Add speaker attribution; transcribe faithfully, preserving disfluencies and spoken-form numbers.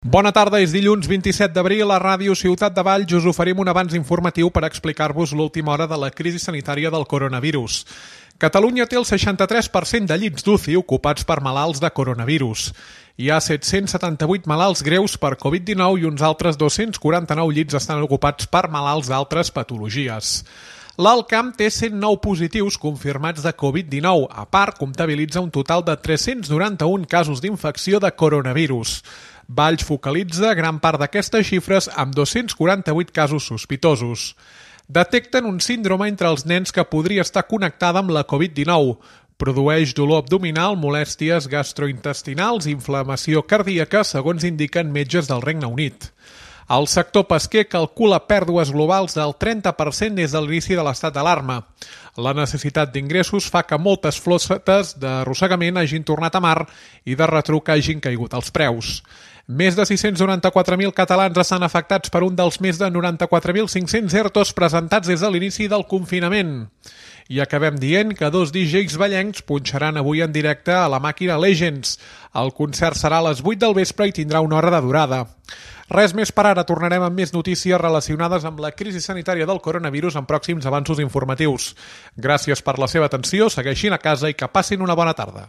Speaker 1: Bona tarda, és dilluns vint-i-set d'abril. A Ràdio Ciutat de Valls us oferim un avanç informatiu per explicar-vos l'última hora de la crisi sanitària del coronavirus. Catalunya té el seixanta-tres per cent de llits d'U C I ocupats per malalts de coronavirus. Hi ha set-cents setanta-vuit malalts greus per covid dinou i uns altres dos-cents quaranta-nou llits estan ocupats per malalts d'altres patologies. L'Alt Camp té cent nou positius confirmats de covid dinou. A part, comptabilitza un total de tres-cents noranta-un casos d'infecció de coronavirus. Valls focalitza gran part d'aquestes xifres amb dos-cents quaranta-vuit casos sospitosos. Detecten un síndrome entre els nens que podria estar connectada amb la covid dinou. Produeix dolor abdominal, molèsties gastrointestinals i inflamació cardíaca, segons indiquen metges del Regne Unit. El sector pesquer calcula pèrdues globals del trenta per cent des de l'inici de l'estat d'alarma. La necessitat d'ingressos fa que moltes flotes d'arrossegament hagin tornat a mar i de retruc hagin caigut els preus. Més de sis-cents noranta-quatre mil catalans estan afectats per un dels més de noranta-quatre mil cinc-cents ERTOs presentats des de l'inici del confinament. I acabem dient que dos D Js vallencs punxaran avui en directe a la màquina Legends. El concert serà a les vuit del vespre i tindrà una hora de durada. Res més per ara, tornarem amb més notícies relacionades amb la crisi sanitària del coronavirus en pròxims avanços informatius. Gràcies per la seva atenció, segueixin a casa i que passin una bona tarda.